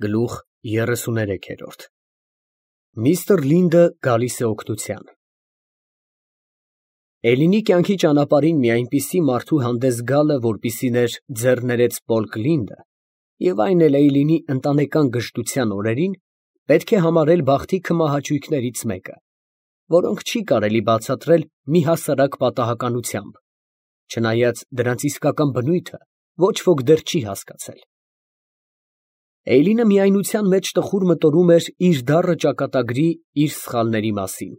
Գլուխ 33 Միստր Լինդը գալիս է օգնության։ Էլինի կյանքի ճանապարհին մի այնպիսի մարդու հանդես գալը, որպիսիներ ձեռներեց Պոլկ Լինդը, և այն էլ Էյլինի ընտանեկան գժտության օրերին, պետք է համարել բախտի քմահաճույքներից մեկը, որոնք չի կարելի բացատրել մի հասարակ պատահականությամբ, չնայած դրանց իսկական բնույթը ոչ ոք դեռ չի հասկացել։ Էյլինը միայնության մեջ տխուր մտորում էր իր դառը ճակատագրի իր սխալների մասին։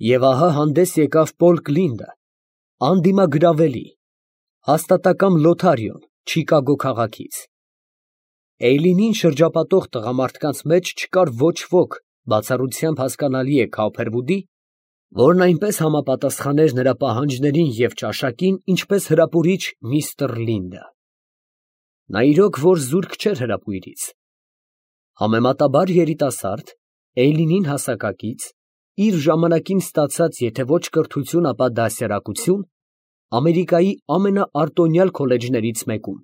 Եվ ահա հանդես եկավ Պոլկ Լինդը, անդիմագրավելի, հաստատակամ Լոթարիոն Չիկագո քաղաքից։ Էյլինին շրջապատող տղամարդկանց մեջ չկար ոչ ոք, բացառությամբ հասկանալի է Քաուփերվուդի, որն այնպես համապատասխաներ նրա պահանջներին և ճաշակին, ինչպես հրապուրիչ միստր Լինդը։ Նա իրոք որ զուրկ չէր հրապույրից։ Համեմատաբար երիտասարդ, Էյլինին հասակակից, իր ժամանակին ստացած եթե ոչ կրթություն, ապա դաստիարակություն, Ամերիկայի ամենաարտոնյալ քոլեջներից մեկում,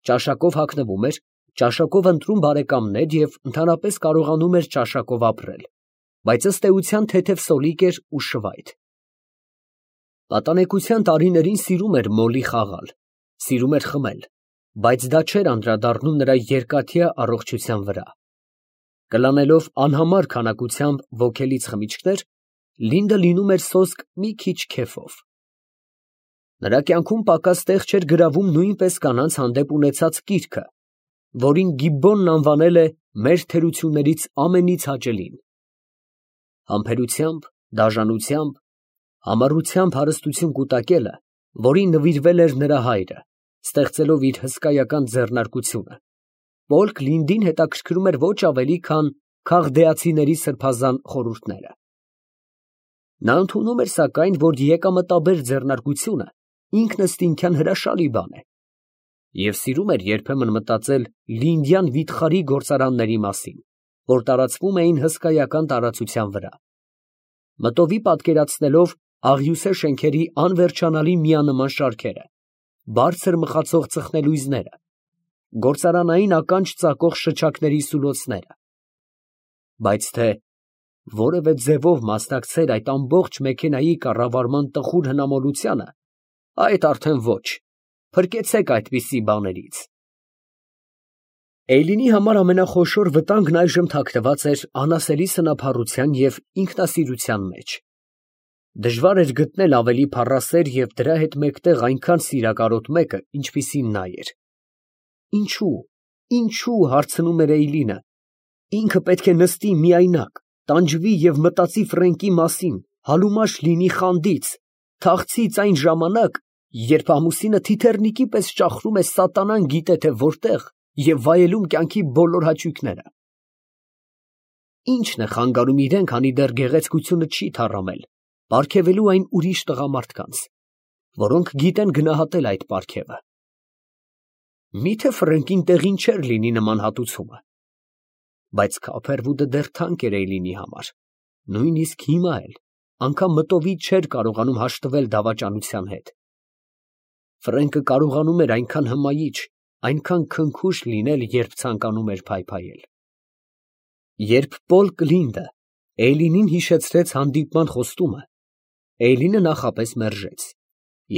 ճաշակով հագնվում էր, ճաշակով ընտրում բարեկամներ և ընդհանրապես կարողանում էր ճաշակով ապրել, բայց ըստ էության թեթև սոլիկ էր ու շվայտ։ Պատանեկության տարիներին սիրում էր մոլի խաղալ, սիրում էր խմել, բայց դա չէր անդրադառնում նրա երկաթյա առողջության վրա։ Կլանելով անհամար քանակությամբ ոգելից խմիչքներ, Լինդը լինում էր սոսկ մի քիչ քեֆով։ Նրա կյանքում պակաս տեղ չէր գրավում նույնպես կանանց հանդեպ ունեցած կիրքը, որին Գիբբոնն անվանել է մեր թերություններից ամենից հաճելին։ Համբերությամբ, դաժանությամբ, համառությամբ հարստություն կուտակելը, որին նվիրվել էր նրա հայրը, ստեղծելով իր հսկայական ձեռնարկությունը, Պոլկ Լինդին հետաքրքրում էր ոչ ավելի, քան քաղդեացիների սրբազան խորհուրդները։ Նա ընդունում էր, սակայն, որ եկամտաբեր ձեռնարկությունը ինքնըստինքյան հրաշալի բան է, և սիրում էր երբեմն մտածել լինդյան վիթխարի գործարանների մասին, որ տարածվում էին հսկայական տարածության վրա, մտովի պատկերացնելով աղյուսե շենքերի անվերջանալի միանման շարքերը, բարձր մխացող ծխնելույզները, գործարանային ականջ ծակող շչակների սուլոցները, բայց թե որևէ ձևով մասնակցեր այդ ամբողջ մեքենայի կառավարման տխուր հնամոլությանը, այդ արդեն ոչ, փրկեցեք այդպիսի բաներից։ Էյլինի համար ամենախոշոր վտանգն այժմ թաքնված էր անասելի սնափառության և ինքնասիրության մեջ։ Դժվար էր գտնել ավելի փառասեր և դրա հետ մեկտեղ այնքան սիրակարոտ մեկը, ինչպիսին նա էր։ Ինչու, հարցնում էր Էյլինը, ինքը պետք է նստի միայնակ, տանջվի և մտածի Ֆրենկի մասին, համալուշ լինի խանդից, թախծից այն ժամանակ, երբ ամուսինը թիթեռնիկի պես ճախրում է սատանան գիտե թե որտեղ և վայելում կյանքի բոլոր հաճույքները։ Ի՞նչն է խանգարում իրեն, քանի դեռ գեղեցկությունը չի թառամել, պարգևելու այն ուրիշ տղամարդկանց, որոնք գիտեն գնահատել այդ պարգևը։ Մի՞թե Ֆրենկին տեղին չէր լինի նման հատուցումը։ Բայց Քաուփերվուդը դեռ թանկ էր Էյլինի համար, նույնիսկ հիմա էլ, անգամ մտովի չէր կարողանում հաշտվել դավաճանության հետ։ Ֆրենկը կարողանում էր այնքան հմայիչ, այնքան քնքուշ լինել, երբ ցանկանում էր փայփայել։ Երբ Պոլկ Լինդը Էյլինին հիշեցրեց հանդիպման խոստումը, Էյլինը նախապես մերժեց,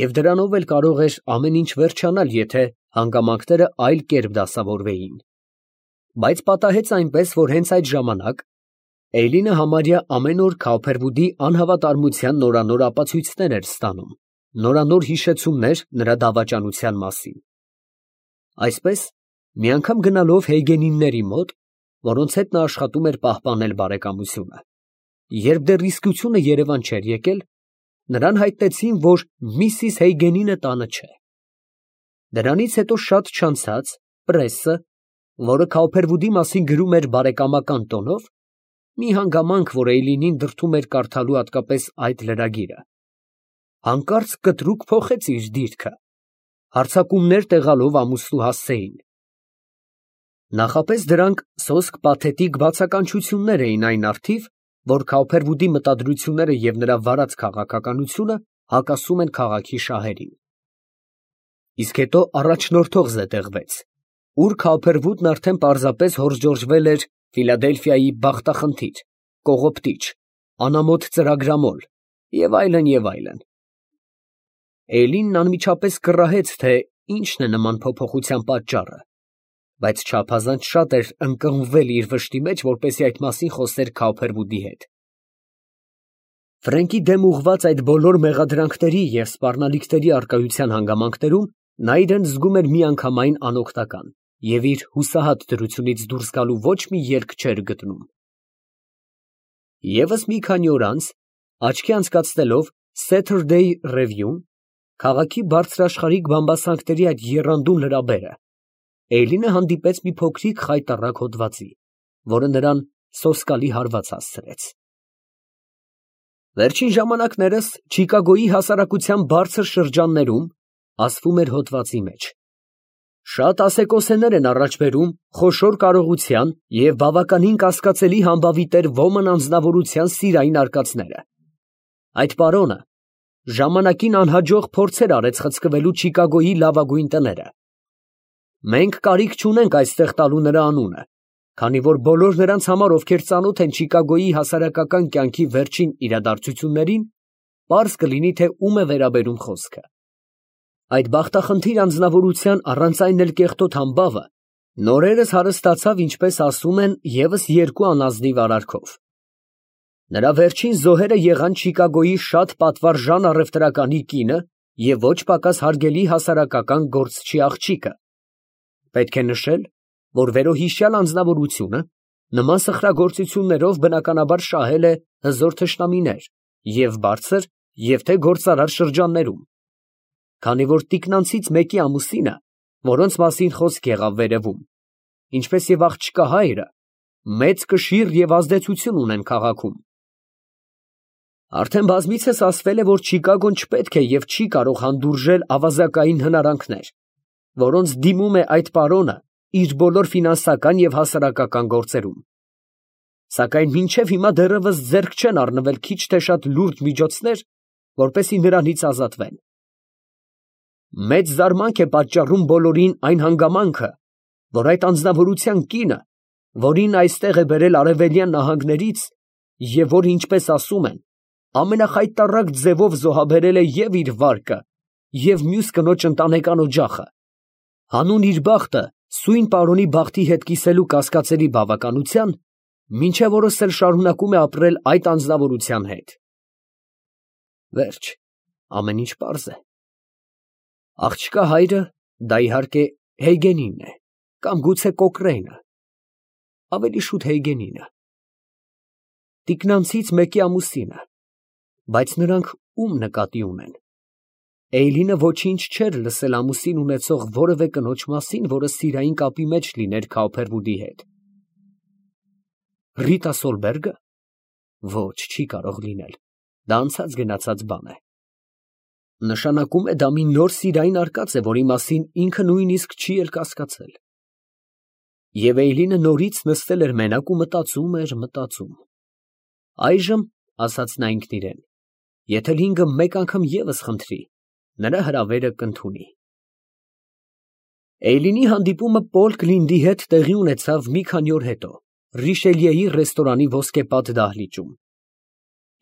և դրանով էլ կարող էր ամեն ինչ վերջանալ, եթե հանգամանքները այլ կերպ դասավորվեին։ Բայց պատահեց այնպես, որ հենց այդ ժամանակ Էյլինը համարյա ամեն օր Քաուփերվուդի անհավատարմության նորանոր ապացույցներ էր ստանում, նորանոր հիշեցումներ նրա դավաճանության մասին։ Այսպես, մի անգամ գնալով Հեյգենինների մոտ, որոնց հետ նա աշխատում էր պահպանել բարեկամությունը, երբ դեռ իսկությունը Երևան չէր եկել, նրան հայտնեցին, որ Միսիս Հեյգենինը տանը չէ։ Դրանից հետո շատ չանցած պրեսը, որը Քաուփերվուդի մասին գրում էր բարեկամական տոնով, մի հանգամանք, որ Էյլինին դրդում էր կարդալու հատկապես այդ լրագիրը, հանկարծ կտրուկ փոխեց իր դիրքը, հարձակումներ տեղալով ամուսնու հասցեին։ Նախապես դրանք սոսկ պաթետիկ բացականչություններ էին այն առթիվ, որ Քաուփերվուդի մտադրությունները և նրա վարած քաղաքականությունը հակասում են քաղաքի շահերին։ Իսկ հետո առաջնորդող զետեղվեց, ուր Քափերվուդն արդեն պարզապես հորժորժվել էր Ֆիլադելֆիայի բախտախնդիր, կողոպտիչ, անամոթ ծրագրամոլ և այլն և այլն։ Էլինն անմիջապես կռահեց, թե ինչն է նման փոփոխության պատճառը, բայց չափազանց շատ էր ընկղմվել իր վշտի մեջ, որպեսզի այդ մասին խոսեր Քափերվուդի հետ։ Ֆրենկի դեմ ուղղված այդ բոլոր մեղադրանքների և սպառնալիքների առկայության հանգամանքներում նա իրան զգում էր միանգամայն անօգնական և իր հուսահատ դրությունից դուրս գալու ոչ մի ելք չէր գտնում։ Եվս մի քանի օր անց, աչքի անցկացնելով Saturday Review-ն, քաղաքի բարձրաշխարհիկ բամբասանքների այդ եռանդուն լրաբերը, Էյլինը հանդիպեց մի փոքրիկ խայտառակ հոդվածի, որը նրան սոսկալի հարված հասցրեց։ Վերջին ժամանակներս Չիկագոյի հասարակության բարձր շրջաններում, ասվում էր հոդվածի մեջ, շատ ասեկոսեներ են առաջ բերում խոշոր կարողության և բավականին կասկածելի համբավի տեր ոմն անձնավորության սիրային արկածները։ Այդ պարոնը ժամանակին անհաջող փորձեր արեց խցկվելու Չիկագոյի լավագույն տները։ Մենք կարիք չունենք այստեղ տալու նրա անունը, քանի որ բոլոր նրանց համար, ովքեր ծանոթ են Չիկագոյի հասարակական կյանքի վերջին իրադարձություններին, պարզ կլինի, թե ում է վերաբերում խոսքը։ Այդ բախտախնդիր անձնավորության առանց այն էլ կեղտոտ համբավը նորերս հարստացավ, ինչպես ասում են, ևս երկու անազնիվ արարքով։ Նրա վերջին զոհերը եղան Չիկագոյի շատ պատվարժան առևտրականի կինը և ոչ պակաս հարգելի հասարակական գործչի աղջիկը։ Պետք է նշել, որ վերոհիշյալ անձնավորությունը նման սխրագործություններով բնականաբար շահել է հզոր թշնամիներ և բարձր, և թե գործարար շրջաններում, քանի որ տիկնանցից մեկի ամուսինը, որոնց մասին խոսք եղավ վերևում, ինչպես և աղջկա հայրը, մեծ կշիռ և ազդեցություն ունեն քաղաքում։ Արդեն բազմիցս ասվել է, որ Չիկագոն չպետք է և չի կարող հանդուրժել ավազակային հնարանքներ, որոնց դիմում է այդ պարոնը իր բոլոր ֆինանսական և հասարակական գործերում։ Սակայն մինչև հիմա դեռևս ձեռք չեն առնվել քիչ թե շատ լուրջ միջոցներ, որպեսզի նրանից ազատվեն։ Մեծ զարմանք է պատճառում բոլորին այն հանգամանքը, որ այդ անձնավորության կինը, որին այստեղ է բերել արևելյան նահանգներից, և որը, ինչպես ասում են, ամենախայտառակ ձևով զոհաբերել է և իր վարկը, և մյուս կնոջ ընտանեկան օջախը, հանուն իր բախտը սույն պարոնի բախտի հետ կիսելու կասկածելի բավականության, մինչև օրս էլ շարունակում է ապրել այդ անձնավորության հետ։ Վերջ, ամեն ինչ պարզ է։ Աղջկա հայրը, դա իհարկե Հեյգենինն է, կամ գուցե Կոկրեյնը, ավելի շուտ Հեյգենինը, տիկնանցից մեկի ամուսինը, բայց նրանք ում նկատի ունեն։ Էյլինը ոչինչ չէր լսել ամուսին ունեցող որևէ կնոջ մասին, որը սիրային կապի մեջ լիներ Քափերվուդի հետ։ Ռիտա Սոլբերգը։ Ոչ, չի կարող լինել, դա անցած գնացած բան է։ Նշանակում է, դա մի նոր սիրային արկած է, որի մասին ինքը նույնիսկ չի էլ կասկածել։ Եվ Էյլինը նորից նստել էր մենակ ու մտածում էր, մտածում։ Այժմ, ասաց նա ինքն իրեն, եթե Լինգը մեկ անգամ ևս խնդրի, նրա հրավերը կընդունի։ Էյլինի հանդիպումը Պոլ Կլինդի հետ տեղի ունեցավ մի քանի օր հետո, Ռիշելիեի ռեստորանի ոսկեպատ դահլիճում։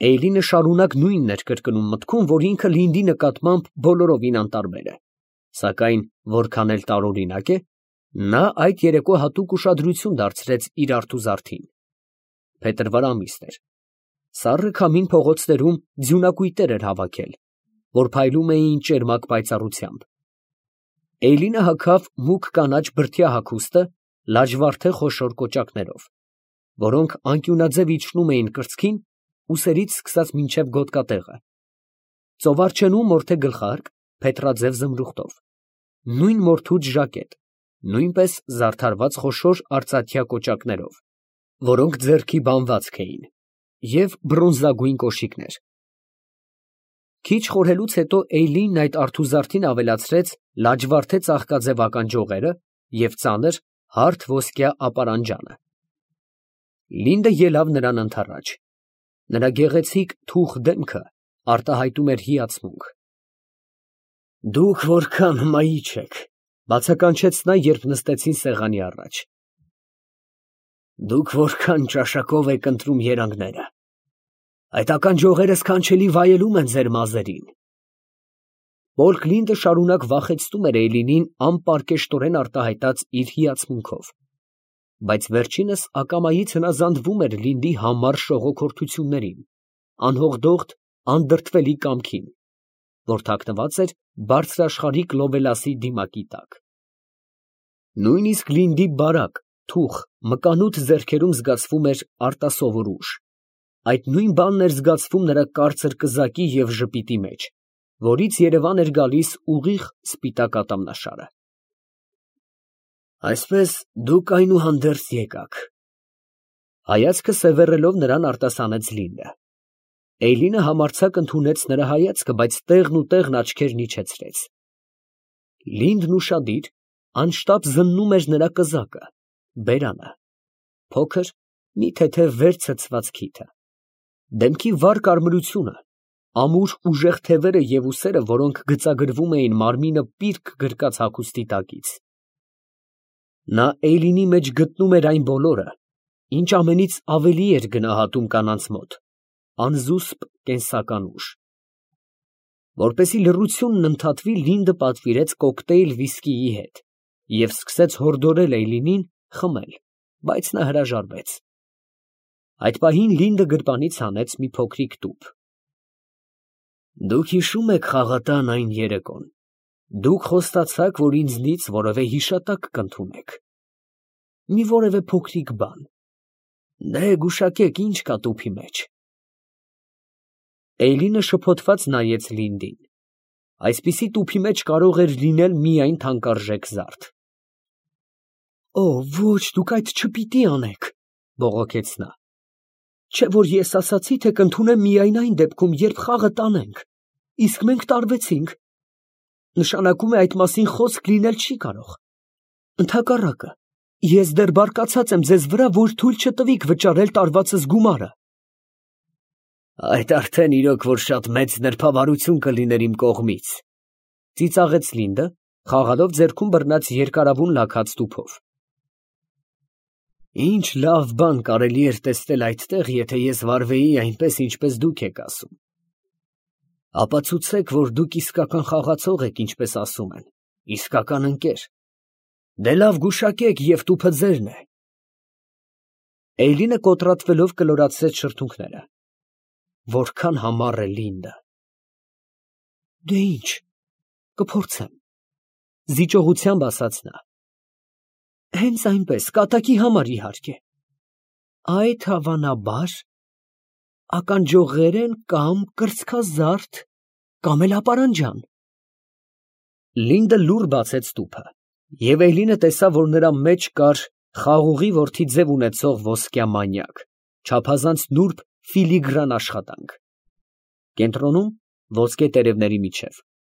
Էյլինը շարունակ նույնն էր կրկնում մտքում, որ ինքը Լինդի նկատմամբ բոլորովին անտարբեր է, սակայն որքան էլ տարօրինակ է, նա այդ երեկո հատուկ ուշադրություն դարձրեց իր արթուզարդին։ Փետրվար ամիսն էր։ Սառը քամին փողոցներում ձյունակույտեր էր հավաքել, որ փայլում էին ճերմակ պայծառությամբ։ Էյլինը հագավ մուգ կանաչ բրդյա հագուստը լաջվարդե խոշոր կոճակներով, որոնք անկյունաձև իջնում էին կրծքին, ուսերից սկսած մինչև գոտկատեղը, ծովարջենու մորթե գլխարկ փետրաձև զմրուխտով, նույն մորթուց ժակետ, նույնպես զարդարված խոշոր արծաթյա կոճակներով, որոնք ձեռքի բանվածք էին, և բրոնզագույն կոշիկներ։ Քիչ խորհելուց հետո Էյլինն այդ արթուզարդին ավելացրեց լաջվարդե ծաղկաձև ականջողերը և ծանր, հարթ ոսկյա ապարանջանը։ Լինդը ելավ նրան ընդառաջ։ Նրա գեղեցիկ թուխ դեմքը արտահայտում էր հիացմունք։ Դուք որքան հմայիչ եք, Բացականչեց նա, երբ նստեցին սեղանի առաջ։ Դուք որքան ճաշակով եք ընտրում երանգները, այդ ականջողերը սքանչելի վայելում են ձեր մազերին։ Պոլկլինդը շարունակ վախեցնում էր Էյլինին անպարկեշտորեն արտահայտած իր հիացմունքով, բայց վերջինս ակամայից հնազանդվում էր Լինդի համառ շողոքորթություններին, անհողդողդ, անդրդվելի կամքին, որ թաքնված էր բարձրաշխարհիկ Լովելասի դիմակի տակ։ Նույնիսկ Լինդի բարակ, թուխ, մկանուտ ձեռքերում զգացվում էր արտասովոր ուժ։ Այդ նույն բանն էր զգացվում նրա կարծր կզակի և ժպիտի մեջ, որից երևան էր գալիս ուղիղ սպիտակ ատամնաշարը։ Այսպես դուք այնուհանդերձ եկաք։ Հայացքը սևեռելով նրան արտասանեց Լինդը։ Էյլինը համարձակ ընդունեց նրա հայացքը, բայց տեղն ու տեղն աչքերն իջեցրեց։ Լինդն ուշադիր, անշտապ զննում էր նրա կզակը, բերանը, փոքր, մի թեթև վեր ցցված քիթը, դեմքի վառ կարմրությունը, ամուր ուժեղ թևերը և ուսերը, որոնք գծագրվում էին մարմինը պիրկ գրկած հագուստի տակից։ Նա Էյլինի մեջ գտնում էր այն բոլորը, ինչ ամենից ավելի էր գնահատում կանանց մոտ, անզուսպ կենսական ուժ։ Որպեսզի լռությունն ընդհատվի, Լինդը պատվիրեց կոկտեյլ վիսկիի հետ և սկսեց հորդորել Էյլինին խմել, բայց նա հրաժարվեց։ Այդ պահին Լինդը գրպանից հանեց մի փոքրիկ տուփ։ Դուք հիշո՞ւմ եք խաղատան այն երեկոն։ Դուք խոստացաք, որ ինձնից որևէ հիշատակ կընդունեք։ Մի որևէ փոքրիկ բան։ Դե գուշակեք, ինչ կա տուփի մեջ։ Էյլինը շփոթված նայեց Լինդին։ Այսպիսի տուփի մեջ կարող էր լինել միայն թանկարժեք զարդ։ Օ, ոչ, դուք այդ չպիտի անեք, բողոքեց նա։ Չէ՞ որ ես ասացի, թե կընդունեմ միայն այն դեպքում, երբ խաղը տանենք, իսկ մենք տարվեցինք։ Նշանակում է այդ մասին խոսք լինել չի կարող։ Ընդհակառակը, ես դեռ բարկացած եմ ձեզ վրա, որ թույլ չտվիք վճարել տարվածս գումարը։ Այդ արդեն իրոք որ շատ մեծ նրբավարություն կլիներ իմ կողմից, ծիծաղեց Լինդը, խաղալով ձեռքում բռնած երկարավուն լաքած տուփով։ Ինչ լավ բան կարելի էր տեսնել այդտեղ, եթե ես վարվեի այնպես, ինչպես դուք եք ասում։ Ապացուցեք, որ դուք իսկական խաղացող եք, ինչպես ասում են, իսկական ընկեր։ Դե լավ գուշակեք, և տուփը ձերն է։ Էյլինը կոտրատվելով կլորացրեց շրթունքները։ Որքան համառ է Լինդը։ Դե ինչ, կփորձեմ, զիջողությամբ ասաց նա։ Հենց այնպես, կատակի համար իհարկե։ Այդ հավանաբար ականջողերեն կամ կրծքազարդ, կամ էլ ապարանջան։ Լինդը լուռ բացեց տուփը, և Էյլինը տեսավ, որ նրա մեջ կար խաղողի որդի ձև ունեցող ոսկյա մանյակ, չափազանց նուրբ ֆիլիգրան աշխատանք։ Կենտրոնում, ոսկե տերևների միջև,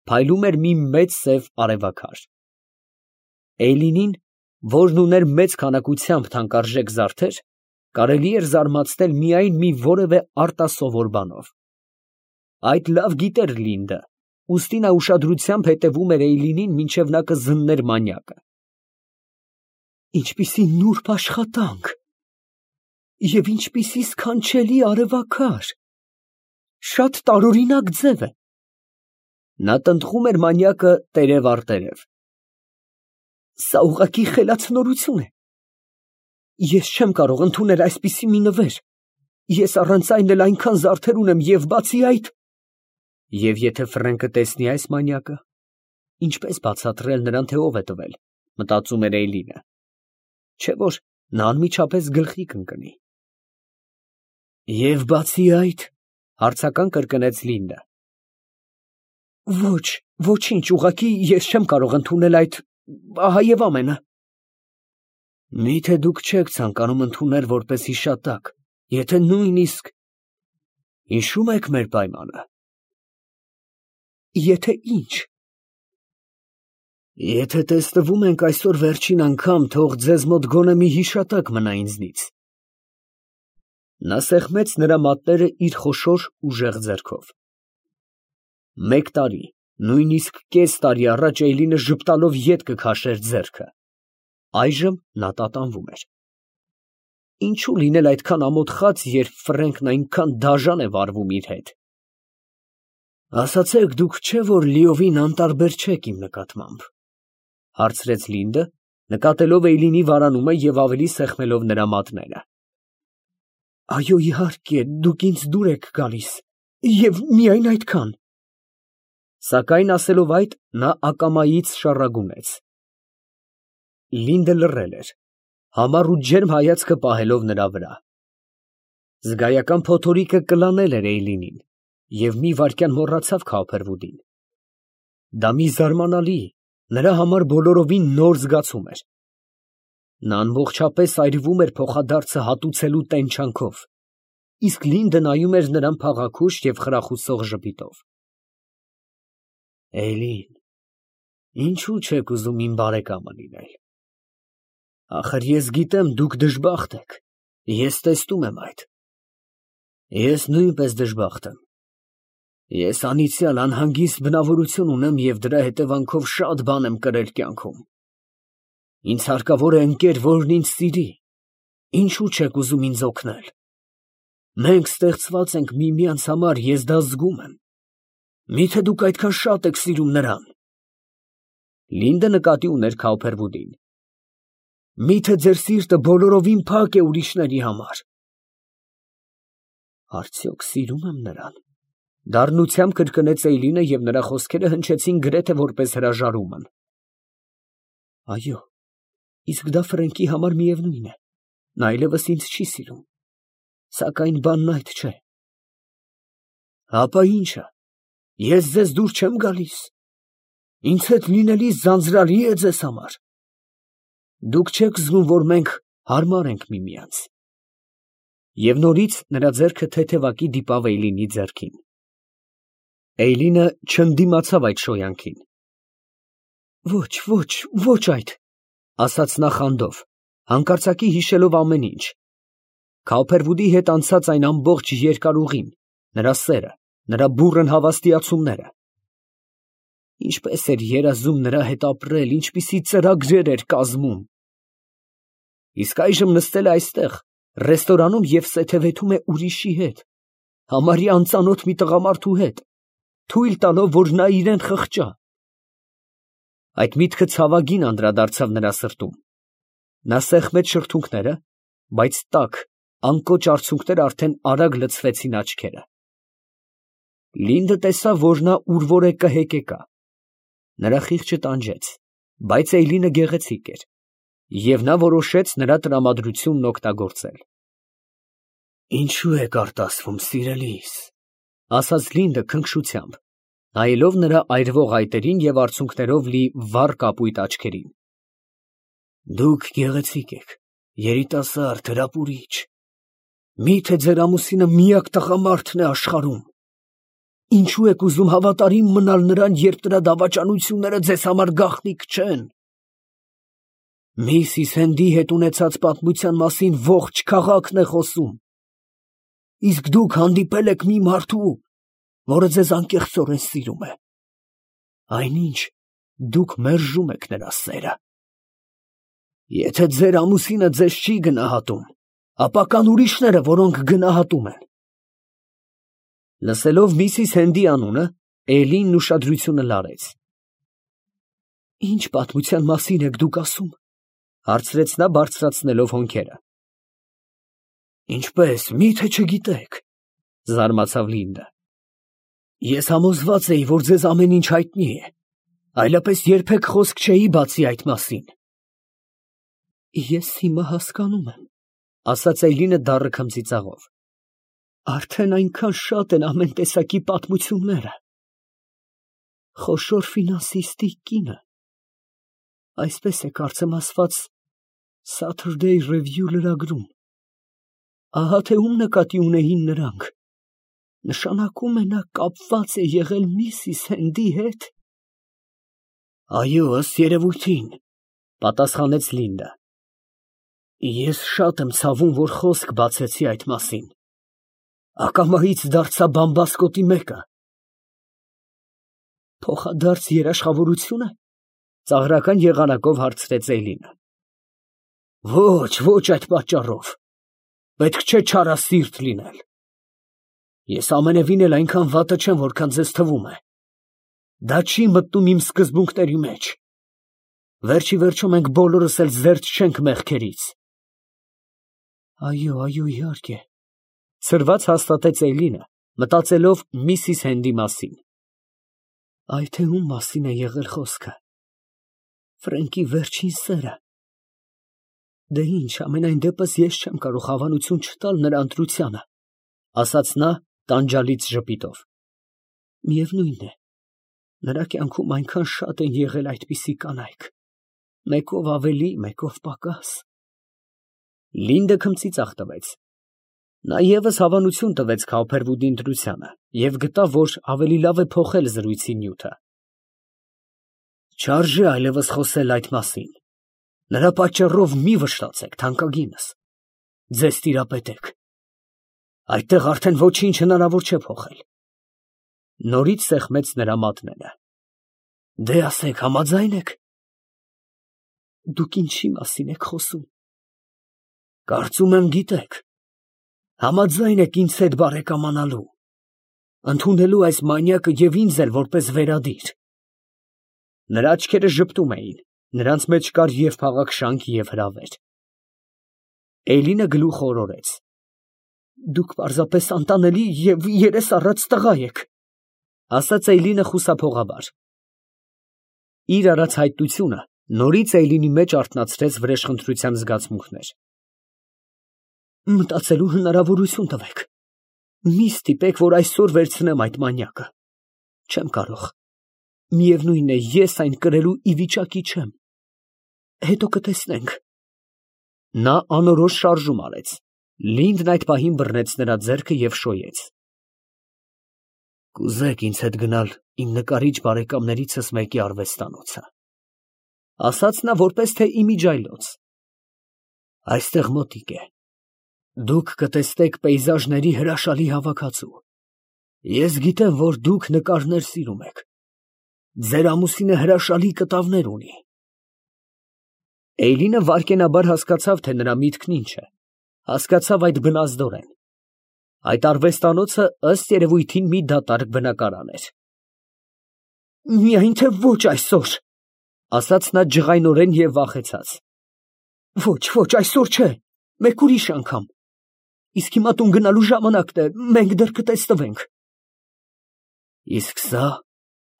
փայլում էր մի մեծ սև արևաքար։ Էյլինին, որն ուներ մեծ քանակությամբ թանկարժեք զարդեր, կարելի էր զարմացնել միայն մի որևէ արտասովոր բանով։ Այդ լավ գիտեր Լինդը, ուստի նա ուշադրությամբ հետևում էր Էյլինին, մինչև նա կզններ մանյակը։ Ինչպիսի նուրբ աշխատանք և ինչպիսի սքանչելի արևաքար, շատ տարօրինակ ձև է։ Նա տնտղում էր մանյակը տերև առ տերև։ Սա ուղղակի խելացնորություն է։ Ես չեմ կարող ընդունել այսպիսի մի նվեր։ Ես առանց այն էլ այնքան զարդեր ունեմ և բացի այդ… Եվ եթե Ֆրենկը տեսնի այս մանյակը, ինչպես բացատրել նրան, թե ով է տվել, մտածում էր Էյլինը։ Չէ՞ որ նա անմիջապես գլխի կընկնի։ Եվ բացի այդ… հարցական կրկնեց Լինդը։ Ոչ, ոչինչ, ուղղակի ես չեմ կարող ընդունել այդ… ահա և ամենը։ Մի՞թե դուք չեք ցանկանում ընդունել որպես հիշատակ, եթե նույնիսկ… Հիշո՞ւմ եք մեր պայմանը։ Եթե ինչ։ Եթե տեսնվում ենք այսօր վերջին անգամ, թող ձեզ մոտ գոնե մի հիշատակ մնա ինձնից։ Նա սեղմեց նրա մատները իր խոշոր ուժեղ ձեռքով։ 1 տարի, Նույնիսկ կես տարի առաջ Էյլինը ժպտալով ետ կքաշեր ձեռքը, այժմ նա տատանվում էր։ Ինչու լինել այդքան ամոթխած, երբ Ֆրենքն այնքան դաժան է վարվում իր հետ։ Ասացեք, դուք չէ՞ որ լիովին անտարբեր չեք իմ նկատմամբ, հարցրեց Լինդը, նկատելով Էյլինի վարանումը և ավելի սեղմելով նրա մատները։ Այո, իհարկե, դուք ինձ դուր եք գալիս, և միայն այդքան։ Սակայն ասելով այդ, նա ակամայից շառագունեց։ Լինդը լռել էր, համառ ու ջերմ հայացքը պահելով նրա վրա։ Զգայական փոթորիկը կլանել էր Էյլինին, և մի վայրկյան մոռացավ Քոփերվուդին։ Դա մի զարմանալի, նրա համար բոլորովին նոր զգացում էր։ Նա ամբողջապես այրվում էր փոխադարձը հատուցելու տենչանքով, իսկ Լինդը նայում էր նրան փաղաքուշ և խրախուսող ժպիտով։ Էյլին, ինչու չեք ուզում իմ բարեկամը լինել։ Ախր ես գիտեմ, դուք դժբախտ եք, ես տեսնում եմ այդ։ Ես նույնպես դժբախտ եմ։ Ես անիծյալ անհանգիստ բնավորություն ունեմ և դրա հետևանքով շատ բան եմ կրել կյանքում։ Ինձ հարկավոր է ընկեր, որն ինձ սիրի։ Ինչու չեք ուզում ինձ օգնել։ Մենք ստեղծված ենք միմյանց համար, ես դա զգում եմ։ Միթե դուք այդքան շատ եք սիրում նրան։ Լինդը նկատի ուներ Քոփերվուդին։ Միթե ձեր սիրտը բոլորովին փակ է ուրիշների համար։ Արդյոք սիրում եմ նրան։ Դառնությամբ կրկնեց Էյլինը և նրա խոսքերը հնչեցին գրեթե որպես հրաժարումն։ Այո, իսկ դա Ֆրենքի համար միևնույն է, նա այլևս ինձ չի սիրում, սակայն բանն այդ չէ։ Հապա ի՞նչը, ես ձեզ դուր չեմ գալիս, ինձ հետ լինելիս ձանձրալի է ձեզ համար։ Դուք չեք զգում, որ մենք հարմար ենք միմյանց։ Եվ նորից նրա ձեռքը թեթևակի դիպավ Էյլինի ձեռքին։ Էյլինը չընդդիմացավ այդ շոյանքին։ Ոչ այդ, ասաց նա խանդով, հանկարծակի հիշելով ամեն ինչ։ Քոփերվուդի հետ անցած այն ամբողջ երկար ուղին, նրա սերը, նրա բուռն հավաստիացումները։ Ինչպես էր երազում նրա հետ ապրել, ինչպիսի ծրագրեր էր կազմում։ Իսկ այժմ նստել է այստեղ, ռեստորանում և սեթևեթում է ուրիշի հետ, համարյա անծանոթ մի տղամարդու հետ, թույլ տալով, որ նա իրան խղճա։ Այդ միտքը ցավագին անդրադարձավ նրա սրտում։ Նա սեղմեց շրթունքները, բայց տաք, անկոչ արցունքները արդեն արագ լցվեցին աչքերը։ Լինդը տեսավ, որ նա ուրվոր է կհեկեկա։ Նրա խիղճը տանջեց, բայց Էյլինը գեղեցիկ էր, և նա որոշեց նրա տրամադրությունն օգտագործել։ Ինչու եք արտասվում, սիրելիս, ասաց Լինդը քնքշությամբ, նայելով նրա այրվող այտերին և արցունքներով լի վառ կապույտ աչքերին։ Դուք գեղեցիկ եք, երիտասարդ, հրապուրիչ։ Միթե ձեր ամուսինը միակ տղամարդն է աշխարհում։ Ինչու եք ուզում հավատարիմ մնալ նրան, երբ նրա դավաճանությունները ձեզ համար գաղտնիք չեն։ Միսիս Հենդի հետ ունեցած պատմության մասին ողջ քաղաքն է խոսում։ Իսկ դուք հանդիպել եք մի մարդու, որը ձեզ անկեղծորեն սիրում է։ Այնինչ, դուք մերժում եք նրա սերը։ Եթե ձեր ամուսինը ձեզ չի գնահատում, ապա կան ուրիշները, որոնք գնահատում են։ Լսելով միսիս Հենդի անունը, Էյլինն ուշադրությունը լարեց։ Ինչ պատմության մասին եք դուք ասում, հարցրեց նա բարձրացնելով հոնքերը։ Ինչպես, միթե չգիտեք, զարմացավ Լինդը։ Ես համոզված էի, որ ձեզ ամեն ինչ հայտնի է, այլապես երբեք խոսք չէի բացի այդ մասին։ Ես հիմա հասկանում եմ, ասաց Էյլինը դառը քմծիծաղով։ Արդեն այնքան շատ են ամեն տեսակի պատմությունները։ Խոշոր ֆինանսիստի կինը, այսպես է կարծեմ ասված Saturday Review լրագրում։ Ահա թե ում նկատի ունեին նրանք։ Նշանակում է նա կապված է եղել միսիս Հենդի հետ։ Այո, ըստ երևույթին, պատասխանեց Լինդը։ Ես շատ եմ ցավում, որ խոսք բացեցի այդ մասին։ Ակամայից դարձա բամբասկոտի մեկը։ Փոխադարձ երաշխավորությո՞ւնը։ Ծաղրական եղանակով հարցրեց Էյլինը։ Ոչ այդ պատճառով։ Պետք չէ չարասիրտ լինել։ Ես ամենևին էլ այնքան վատը չեմ, որքան ձեզ թվում է։ Դա չի մտնում իմ սկզբունքների մեջ։ Վերջի վերջո մենք բոլորս էլ զերծ չենք մեղքերից։ Այո, իհարկե, ցրված հաստատեց Էյլինը, մտածելով Միսիս Հենդի մասին։ Այ թե ում մասին է եղել խոսքը։ Ֆրենկի վերջին սերը։ Դե ինչ, ամենայն դեպս ես չեմ կարող հավանություն չտալ նրա ընտրությանը, ասաց նա տանջալից ժպիտով։ Միևնույն է, նրա կյանքում այնքան շատ են եղել այդպիսի կանայք, մեկով ավելի, մեկով պակաս։ Լինդը քմծիծաղ տվեց։ Նա ևս հավանություն տվեց Քաուփերվուդի ընտրությանը և գտավ, որ ավելի լավ է փոխել զրույցի նյութը։ Չարժե այլևս խոսել այդ մասին։ Նրա պատճառով մի վշտացեք, թանկագինս։ Ձեզ տիրապետեք։ Այդտեղ արդեն ոչինչ հնարավոր չէ փոխել։ Նորից սեղմեց նրա մատները։ Դե ասեք, համաձայն եք։ Դուք ինչի մասին եք խոսում։ Կարծում եմ գիտեք։ Համաձայն եք ինձ հետ բարեկամանալու, ընդունելու այս մանյակը և ինձ էլ որպես վերադիր։ Նրա աչքերը ժպտում էին, նրանց մեջ կար և փաղաքշանք, և հրավեր։ Էյլինը գլուխ օրորեց։ Դուք պարզապես անտանելի և երես առած տղա եք, ասաց Էյլինը խուսափողաբար։ Իր արած հայտնությունը նորից Էյլինի մեջ արթնացրեց վրեժխնդրության զգացմունքներ։ Մտածելու հնարավորություն տվեք։ Մի ստիպեք, որ այսօր վերցնեմ այդ մանյակը։ Չեմ կարող։ Միևնույն է, ես այն կրելու ի վիճակի չեմ։ Հետո կտեսնենք։ Նա անորոշ շարժում արեց։ Լինդն այդ պահին բռնեց նրա ձեռքը և շոյեց։ Կուզեք ինձ հետ գնալ իմ նկարիչ բարեկամներիցս մեկի արվեստանոցը, ասաց նա որպես թե իմիջիայլոց։ Այստեղ մոտիկ է։ Դուք կտեսնեք պեյզաժների հրաշալի հավաքածու։ Ես գիտեմ, որ դուք նկարներ սիրում եք։ Ձեր ամուսինը հրաշալի կտավներ ունի։ Էյլինը վայրկենաբար հասկացավ, թե նրա միտքն ինչ է։ Հասկացավ այդ բնազդորեն։ Այդ արվեստանոցը ըստ երևույթին մի դատարկ բնակարան էր։ Միայն թե ոչ այսօր, ասաց նա ջղայնորեն և վախեցած։ Ոչ, այսօր չէ, մեկ ուրիշ անգամ։ Իսկ հիմա տուն գնալու ժամանակն է, մենք դեռ կտեսնվենք։ Իսկ սա,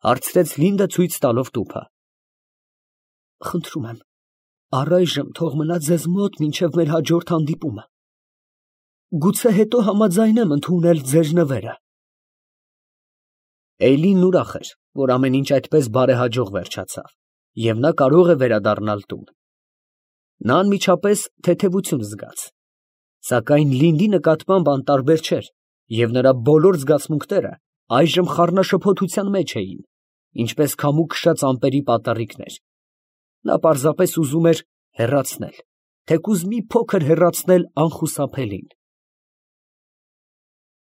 հարցրեց Լինդը ցույց տալով տուփը։ Խնդրում եմ, առայժմ թող մնա ձեզ մոտ մինչև մեր հաջորդ հանդիպումը։ Գուցե հետո համաձայնեմ ընդունել ձեր նվերը։ Էյլինն ուրախ էր, որ ամեն ինչ այդպես բարեհաջող վերջացավ, և նա կարող է վերադառնալ տուն։ Նա անմիջապես թեթևություն զգաց։ Սակայն Լինդի նկատմամբ անտարբեր չէր, և նրա բոլոր զգացմունքները այժմ խառնաշփոթության մեջ էին, ինչպես քամու քշած ամպերի պատառիկներ։ Նա պարզապես ուզում էր հեռացնել, թեկուզ մի փոքր հեռացնել անխուսափելին։